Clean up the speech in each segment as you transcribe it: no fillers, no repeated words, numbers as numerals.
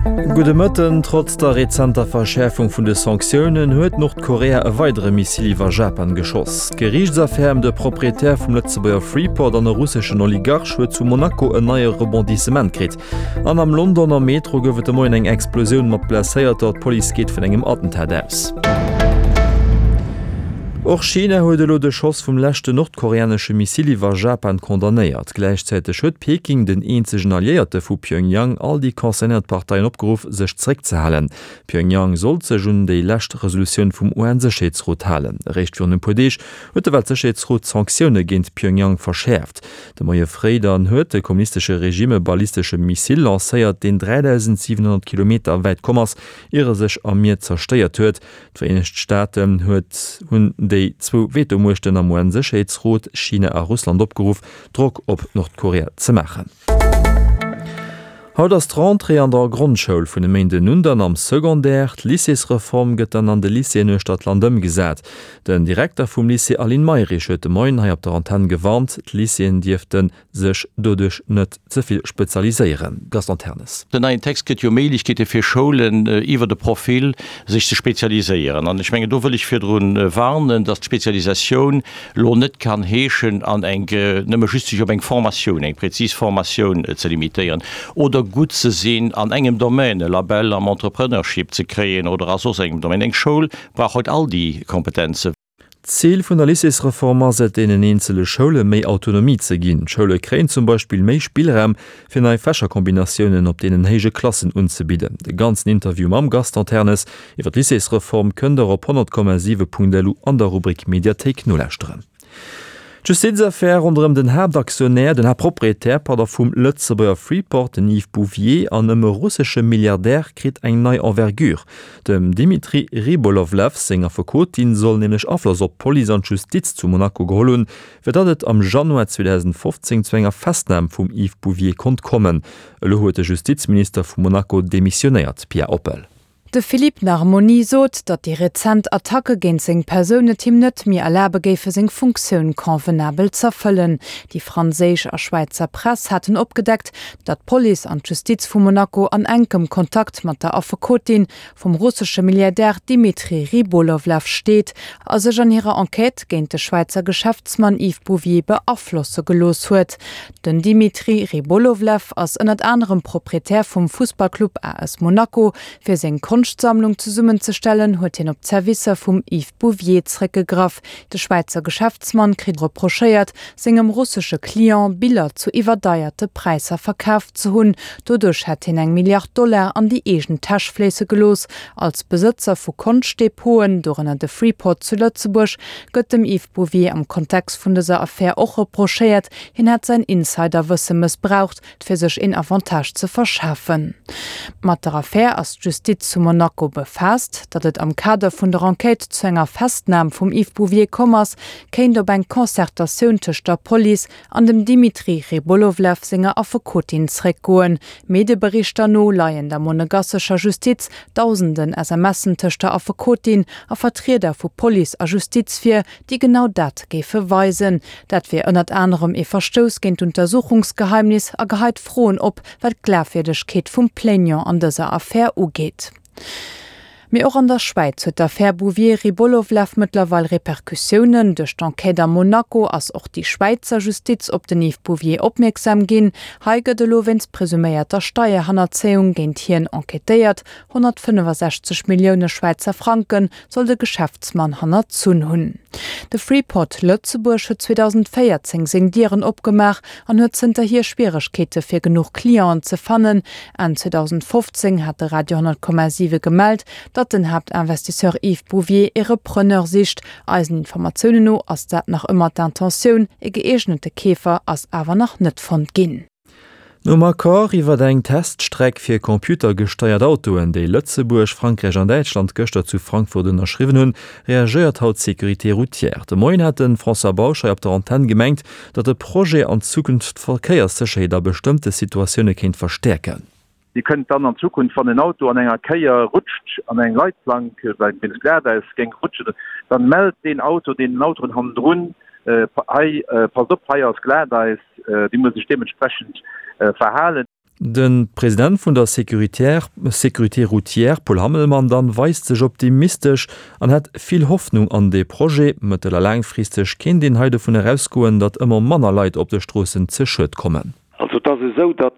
Gudde Mëtten. Trotz der rezenter Verschäerfung vun de Sanktiounen huet Nordkorea e weidere Missil iwwer Japan geschoss. D'Geriichtsaffär ëm de Proprietär vum Lëtzebuerger Freeport an e russeschen Oligarch huet zu Monaco en neie Rebondissement kritt. An am Londoner Metro gouf et de Moien eng Explosioun mat Blesséierter. D'Police geet vun engem Attentat aus. Och China huet elo de Schoss vum leschten nordkoreanesche Missil iwwer Japan condamnéiert. Gläichzäiteg huet Peking, den eenzegen Alliéierte vu Pjöngjang, all déi concernéiert Parteien opgeruff, sech zeréckzehalen. Pjöngjang sollt sech un déi lescht Resolutioun vum UN-Sécherheetsrot halen. Eréischt virun e puer Deeg huet de Weltsécherheetsrot d'Sanktioune géint Pjöngjang verschäerft. De Moie fréi dann huet de kommunistesche Regime e ballistesche Missil lancéiert, deen 3.700 Kilometer wäit komm ass, ier e sech am Mier zerstéiert huet. D'Vereenegt Staaten huet hunn déi zwou Vetomuechten am UN-Sécherheetsrot, China a Russland, opgeruff, Drock op Nordkorea ze maachen. Haut ass d'Rentrée an der Grondschoul, vun e Méinden un dann am Secondaire. D'Lycéesreform gëtt dann an de Lycéeën uechter d'Land ëmgesat. Den Direkter vum Lycée Aline Mayrisch huet de Moien hei op der Antenn gewarnt, d'Lycéeën dierfte sech doduerch net ze vill spezialiséieren. Gaston Ternes. Den neien Text gëtt jo Méiglechkeete fir Schoulen iwwert e Profil sech ze spezialiséieren. An ech mengen, do wëll ech virdru warnen, datt d'Spezialisatioun lo net kann heeschen, an eng, nëmme just sech op eng Formatioun, eng prezis Formatioun ze limitéieren oder gutt ze sinn an engem Domaine, e Label am Entrepreneurship ze kréien oder a soss engem Domaine. Eng Schoul brauch haut all déi Kompetenzen. D'Zil vun der Lycéesreform ass et, deenen eenzele Schoule méi Autonomie ze ginn. D'Schoule kréien zum Beispill méi Spillraum, fir nei Fächerkombinatiounen op deenen héije Klassen unzebidden. De ganzen Interview mam Gaston Ternes iwwer d'Lycéesreform kënnt der op 100,7.lu an der Rubrik Mediathéik nolauschteren. D'Justizaffär ronderëm den Haaptaktionär, den Haaptproprietär, pardon, vum Lëtzebuerger Freeport, den Yves Bouvier, an ëm e russesche Milliardär kritt eng nei Envergure. Dem Dimitri Rybolovlev seng Affekotin soll nämlech Afloss op d'Police an d'Justiz zu Monaco geholl hunn, fir datt et am Januar 2015 zu enger Festnam vum Yves Bouvier konnt kommen. Elo huet de Justizminister vu Monaco demissionéiert. Pia Oppel. De Philippe Narmoni sot, datt déi rezent Attacke géint seng Persoun et him net méi erlabe géife seng Funktioun convenabel z'erfëllen. Déi franséisch a Schwäizer Press haten opgedeckt, datt d'Police an d'Justiz vu Monaco an enkem Kontakt mat der Affekotin vum russesche Milliardär Dmitri Rybolovlev steet a sech an hirer Enquête géint de Schwäizer Geschäftsmann Yves Bouvier beaflosse gelooss huet. Den Dmitri Rybolovlev ass ënnert anerem Proprietär vum Fussballclub AS Monaco. Fir seng Konschtsammlung zesummenzestellen, huet hien op d'Servicer vum Yves Bouvier zréckgegraff. De Schwäizer Geschäftsmann kritt reprochéiert, sengem russesche Client Biller zu iwwerdeierte Präisser verkaf ze hunn. Doduerch hätt hien eng Milliard Dollar an déi eegen Täsch fléisse gelooss. Als Besëtzer vu Konschtdepoten, dorënner de Freeport zu Lëtzebuerg, gëtt dem Yves Bouvier am Kontext vun dëser Affär och reprochéiert, hien hätt säin Insiderwësse mëssbraucht, fir sech een Avantage ze verschafen. Mat der Affär ass d'Justiz zu Monaco befaasst. Datt et am Kader vun der Enquête zu enger Festnam vum Yves Bouvier komm ass, kéint op eng Concertatioun tëscht der Police an dem Dimitri Rybolovlev senger Affekotin zréckgoen. Medieberichter no leien der monegassescher Justiz dausenden SMSen tëscht der Affekotin a Vertrieder vu Police a Justiz vir, déi genau dat géife weisen. Dat wier ënnert anerem ee Verstouss géint d'Untersuchungsgeheimnis a geheit Froen op, wat d'Glafwierdegkeet vum Plaignant an dëser Affär ugeet. Mee och an der Schwäiz huet d'Affär Bouvier-Rybolovlev mëttlerweil Repercussiounen. Duerch d'Enquête a Monaco ass och déi Schwäizer Justiz op den Yves Bouvier opmierksam ginn. Hei gëtt elo wéinst presuméierter Steierhannerzéiung géint hien enquêtéiert. 165 Millioune Schwäizer Franke soll de Geschäftsmann hannerzunn hunn. De Freeport Lëtzebuerg huet 2014 seng Dieren opgemaach an huet zënterhier Schwieregkeete fir genuch Clienten ze fannen. Enn 2015 hat de Radio 10,7 gemellt, datt den Haaptinvestisseur Yves Bouvier ee Repreneur sicht. Eisen Informatiounen no ass dat nach ëmmer d'Intentioun, e gëeegnete Keefer ass awer nach net fonnt ginn. Nom Accord iwwer eng Teststreck fir computergesteiert Autoen, déi Lëtzebuerg, Frankräich an Däitschland gëschter zu Frankfurt ënnerschriwwen hunn, reagéiert haut d'Sécurité routière. De Moien hat de François Bausch hei op der Antenn gemengt, datt de Projet an Zukunft d'Verkéierssécherheet a bestëmmte Situatioune kéint verstäerken. Dir kënnt dann an Zukunft, wann en Auto an enger Kéier rutscht, an eng Leitplank, well wéinst Glatäis géing rutschen, dann mellt deen Auto deenen Autoen hannendrun, Hei, passt op, hei ass Glatäis, Dir musst Iech deementsprechend verhalen. De President vun der Sécuritaire, Sécurité routière, Paul Hammelmann dann, weist sech optimistesch an hätt vill Hoffnung an dee Projet. Mëttel a laangfristeg kéint een hei dovun erausgoen, datt ëmmer manner Leit op de Stroossen ze Schued kommen. Also et ass esou, datt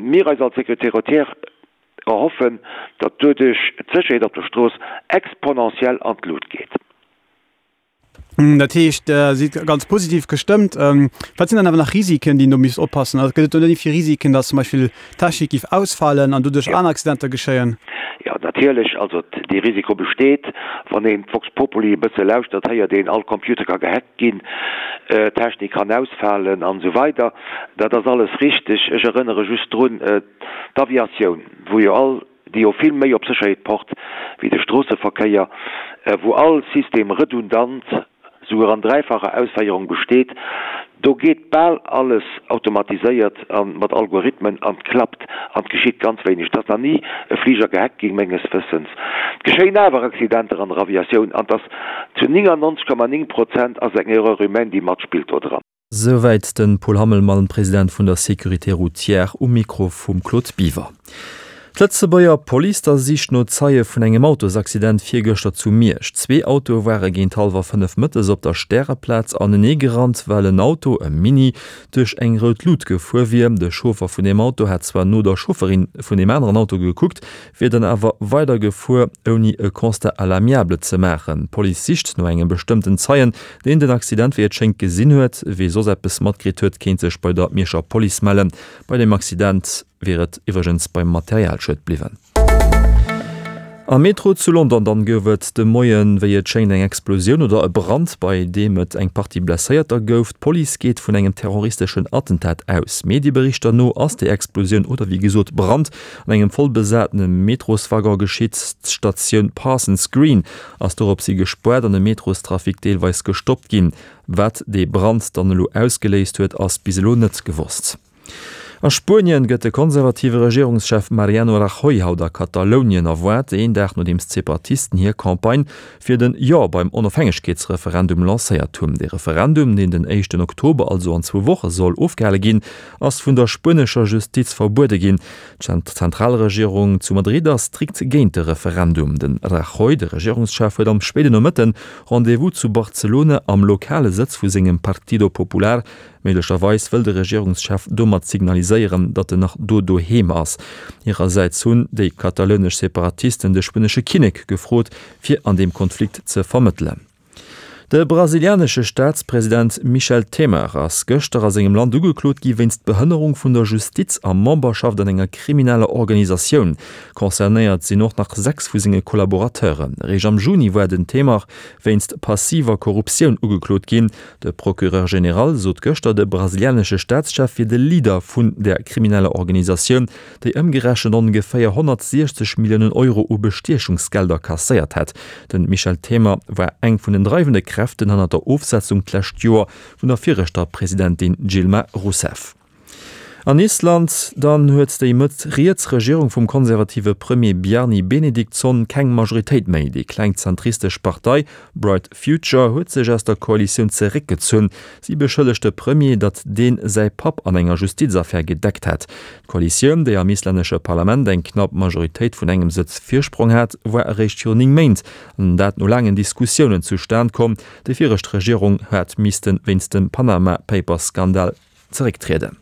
mir eis als Sécurité routière erhoffen, datt doduerch d'Sécherheet op der Strooss exponentiell an d'Lut geet. Dat heescht, Der sidd ganz positiv gestëmmt. Wat sinn dann awer nach Risiken, déi een do misst oppassen? Also gëtt et do net iergendwéi Risiken, datt zum Beispill d'Technik géif ausfalen an doduerch aner Accidenter geschéien? Jo, natierlech. Also dee Risiko besteet. Wann een d'Vox Populi e bësse lauschtert, héiert een, all Computer ka gehackt ginn, d'Technik kann ausfalen an esou weider. Dat ass alles richteg. Ech erënnere just drun, d'Aviatioun, wou jo all déi jo vill méi op Sécherheet pocht wéi de Stroosseverkéier, wou all System redundant, souguer an dräifacher Ausféierung besteet, do geet bal alles automatiséiert a mat Algorithmen an 't klappt an 't geschitt ganz wéineg. 't ass nach ni e Fliger gehackt ginn, menges Wëssens. 't geschéien awer Accidenter an der Aviatioun an 't ass zu 99,9 Prozent ass eng Erreur humaine, déi matspillt do dran. Souwäit de Paul Hammelmann, President vun der Sécurité routière, um Mikro vum Claude Biver. D'Lëtzebuerger Police da sicht no Zeie vun engem Autosaccident virgëschter zu Miersch. Zwee Autoe ware géint hallwer 5 mëttes op der Stäreplaz anenee gerannt, well en Auto, e Mini, duerch eng rout Lut gefuer wier. De Chauffer vun deem Auto hat zwar no der Chaufferin vun deem aneren Auto gekuckt, wier dann awer weider gefuer, ouni e Constat à l'amiable ze maachen. D'Police sicht no engem bestëmmten Zeien, deen den Accident wéi et schéngt gesinn huet. Wee soss eppes matkritt huet, kéint sech bei der Mierscher Police mellen. Bei dem Accident wier et iwwregens beim Materialschued bliwwen. Am Metro zu London dann gouf et de Moien, wéi et schéngt, eng Explosioun oder e Brand, bei deem et eng Partie Blesséierter gouf. D'Police geet vun engem terroristeschen Attentat aus. Medieberichter no ass déi Explosioun oder wéi gesot Brand an engem voll besatene Metroswaggon geschitt. D'Statioun Parsons Green ass doropshi gespoart an de Metrostrafic deelweis gestoppt ginn. Wat dee Brand dann elo ausgeléist huet, ass bis elo net gewosst. A Spuenien gëtt de konservative Regierungschef Mariano Rajoy haut a Katalounien erwaart, een Dag nodeems d'Separatisten hir Campagne fir den Jo beim Onofhängegkeetsreferendum lancéiert hunn. Dee Referendum, deen den éischten Oktober, also an zwou Woche soll ofgehale ginn, ass vun der spuenescher Justiz verbuede ginn. D'Zentralregierung zu Madrid ass strikt géint de Referendum. De Rajoy, de Regierungschef, huet am spéiden Nomëtten Rendez-vous zu Barcelona am lokale Sëtz vu sengem Partido Popular. Méiglecherweis wëll de Regierungschef domat signaliséieren, datt en nach do doheem ass. Hirersäits hunn déi katalounesch Separatisten de spuenesche Kinnek gefrot, fir an deem Konflikt ze vermëttelen. De brasilianesche Staatspresident Michel Temer ass gëschter a sengem Land ugeklot gi wéinst Behënnerung vun der Justiz a Memberschaft an enger krimineller Organisatioun. Concernéiert sinn och nach 6 vu senge Collaborateuren. Eréischt am Juni war den Temer wéinst passiver Korruptioun ugeklot ginn. De Procureur général sot gëschter, de brasilianesche Staatschef wier de Leader vun där krimineller Organisatioun, déi ëmgerechent ongeféier 160 Milliounen Euro u Bestiechungsgelder kasséiert hätt. De Michel Temer war eng vun den dreiwende Kräften hannert der Ofsetzung d'lescht Joer vun der viregter Presidentin Dilma Rousseff. An Island dann huet déi mëtt-riets Regierung vum konservative Premier Bjarni Benediktsson keng Majoritéit méi. Déi kleng zentristesch Partei Bright Future huet sech aus der Koalitioun zeréckgezunn. Si beschëllegt de Premier, datt deen säi Papp an enger Justizaffär gedeckt hätt. D'Koalitioun, déi am islännesche Parlament eng knapp Majoritéit vun engem Sëtz Virsprong hat, war eréischt virun 9 Méint, an dat no laangen Diskussiounen, zustan komm. Déi viregt Regierung hat misste wéinst dem Panama-Papers-Skandal zerécktrieden.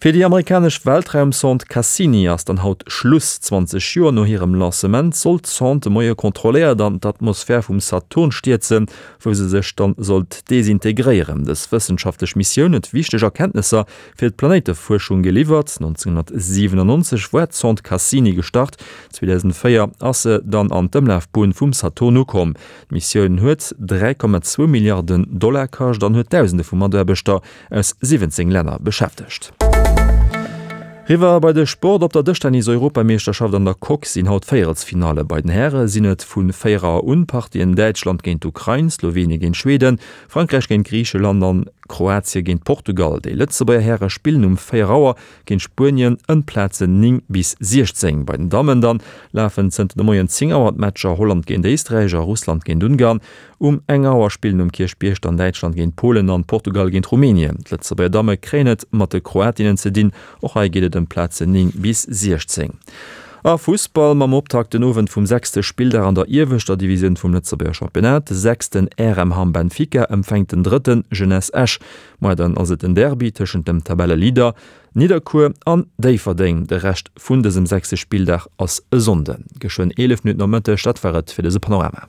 Fir déi amerikanesch Weltraumsonde Cassini ass dann haut Schluss. 20 Joer no hirem Lancement soll d'Sonde de Moie kontrolléiert an d'Atmosphär vum Saturn stierzen, wou se sech dann sollt desintegréieren. Dës wëssenschaftlech Missioun huet wichteg Erkenntnesser fir d'Planéitefuerschung geliwwert. 1997 war d'Sonde Cassini gestart, 2004 ass se dann an d'Ëmlafbunn vum Saturn ukomm. D'Missioun huet 3,2 Milliarden Dollar kascht an huet Dausende vu Mataarbechter aus 17 Länner beschäftegt. Riwwer bei de Sport, Op der Dëschtennis-Europameeschterschaft an der Coque sinn haut Véierelsfinalle. Bei den Häre sinn et vu 4 Auer un Partien Däitschland géint d'Ukrain, Slowenien géint Schweden, Frankräich géint Griicheland an Kroatie géint Portugal. Déi Lëtzebuerger Häre spillen um 4 Auer géint Spuenien ëm d'Plazen 9 bis 16. Bei den Dammen dann lafen zënter de Moien 10 Auer d'Matcher Holland géint Éisträich a Russland géint Ungarn. Um eng Auer spillen um Kierchbierg dann Däitschland géint Polen an Portugal géint Rumänien. D'Lëtzebuerger Damme kréien et mat de Kroatinnen ze dinn. Och hei geet et ëm. ëm d'Plazen 9 bis 16. A Fussball, Mam Optakt den Owend vum sechste Spilldag an der ieweschter Divisioun vum Lëtzebuerger Championnat. De sechsten RM Hamm Benfica empfänkt den drëtten Jeunesse Esch. Moar dann ass et den Derby tëschent dem Tabelleleader Nidderkuer an Déifferdeng. De Rescht vun dësem sechste Spilldag ass e Sonnden. Geschwënn 11 Minutten op Mëtteg, dat war et fir dëse Panorama.